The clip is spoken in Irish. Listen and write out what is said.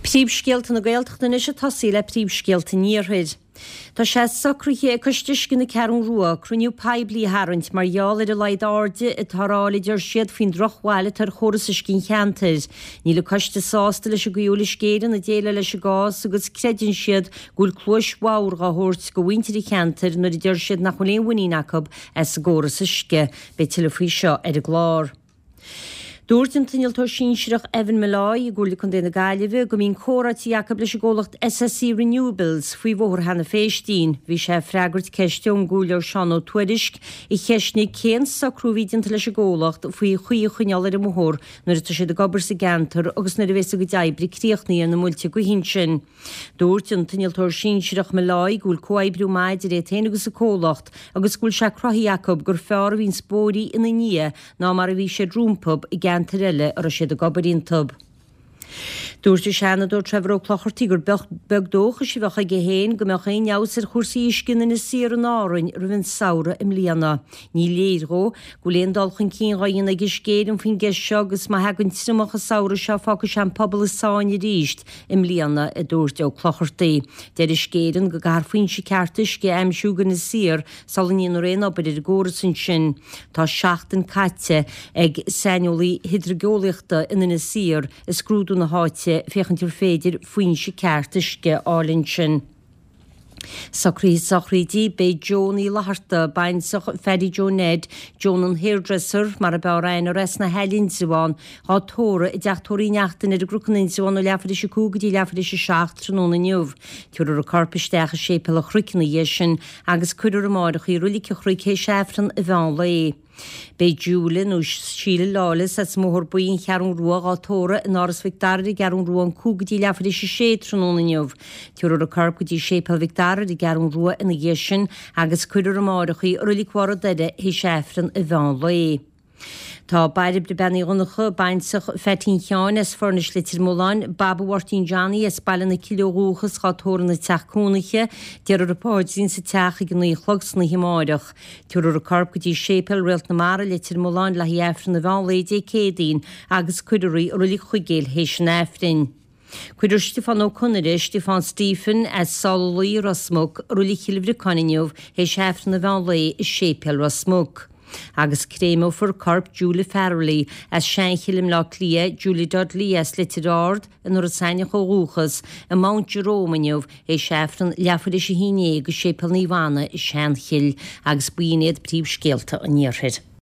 Príomhscéalta na Gaeltachta anois ag tosaí le príomhscéalta an Iarthair. Tá sé socraithe ag Coiste Uisce na Ceathrún Rua cruinniú poiblí a tharraingt mar gheall ar a laghad airde atá ar fháil a deir siad faoin drochbhail atá ar chóras uisce an cheantair. Níl an coiste sásta leis an gcaoi a bhfuil Uisce Éireann ag déileáil leis an gcás agus creideann siad go bhfuil cluais bhodhar dhá thabhairt go mhuintir an cheantair nuair a deir siad nach bhfuil aon mhuinín acu as an gcóras uisce. Beidh tuilleadh faoi seo ar an gclár. Dúirt an t-innealtóir sinsearach Evan Molloy i gComhairle Contae na Gaillimhe go mbíonn comhráití acu leis an gcomhlacht SSE Renewables faoi Bhóthar Hannah Phéistín. Bhí sé ag freagairt ceiste ón gComhairleoir Seán Ó Tuairisg a cheistnigh cén socrú a bhí déanta leis an gcomhlacht faoi chaoi a choinneáil ar an mbóthar nuair atá siad ag obair sa gceantar agus nuair a bheas a gcuid oibre críochnaithe ar na muilte gaoithe ansin. Dúirt an t-innealtóir sinsearach Molloy go bhfuil comhoibriú maith idir iad féin agus an comhlacht agus go bhfuil sé cruthaithe acu gur fearr a bhíonns bóithrí ina ndiaidh ná mar a bhí siad rompu i gceantair eile a raibh siad ag obair iontu. Dúirt an Seanadóir Trevor Ó Clochartaigh gur beag dóchais a bheadh aige féin go mbeadh aon fheabhas ar chúrsaí uisce in Inis Oírr in Árainn roimh an samhradh i mbliana. Ní léir dhó go bhfuil aon dul chun cinn dhá dhéanamh ag Uisce Éireann faoin gceist seo agus má thagann triomach an samhradh seo fágfaidh sé an pobal i sáinn arís i mbliana, a dúirt Ó Clochartaigh. Deir Uisce Éireann go gcaithfear foinse ceart uisce a aimsiú go Inis Oírr sula ndéanfar aon obair ar an gcóras ansin. Tá seachtain caite ag saineolaí hidrigeolaíochta in Inis Oírr ag scrúdú na háite féachaint ar féidir foinse ceart uisce a fháil ansin. Socruithe sochraide, Beidh Joan Uí Fhlatharta, baintreach Phaddy Joe Ned, Joan an Hairdresser, mar ab fhearr aithne uirthi as na hAille Indreabhán, dhá tórramh i dTeach Tórraimh Uí Neachtain ar an gCnoc in Indreabhán ó leathuair théis 5 go dtí leathuair théis 7 tráthnóna inniu. Tabharfar a corp isteach i Séipéal an Chnoic ina dhiaidh sin agus cuirfear amáireach í i Roilig an Chnoic théis Aifreann an mheán lae. Beidh Julia nó Síle Lawless as an mBóthar Buí, An Cheathrún Rua, dhá tórramh in Áras Mhic Dara ar an gCeathrún Rua ón 5 go dtí leathuair théis 6 tráthnóna inniu. Tabharfar a corp go dtí Séipéal Mhic Dara ar an gCeathrún Rua ina dhiaidh sin agus cuirfear amáireach í i Roilig Bharr an Doire théis Aifreann an mheán lae. Tá Bairbre Bean Uí Dhonncha, baintreach Pheaitín Sheáin as Foirnis Leitir Mealláin, Baba Mháirtín Johnny as Baile na Cille ó dhúchas, dhá tórramh ina teach cónaithe. Déarfar an paidrín sa teach ag a 9 a chlog san oíche amáireach. Tabharfar a corp go dtí Séipéal Réalt na Mara, Leitir Mealláin le haghaidh Aifreann an mheán lae Dé Céadaoin agus cuirfear í i Roilig Chuigéil théis an Aifrinn. Cuirfear Stiofán Ó Conaire, Stiofán Stephen, as Sála Luí, Ros Muc, i Roilig Chill Bhriocáin inniu théis Aifreann an mheán lae i Séipéal Ros Muc. Agus créimeofar corp Julia Farrelly, as Seanchill i mBleá Cliath, Julia Dudley as Leitir Ard, in Iorras Aithneach ó dhúchas, i Mount Jerome inniu théis Aifreann leathuair théis 11 i Séipéal Naomh Anna i Seanchill. Agus b'in iad príomhscéalta an Iarthair.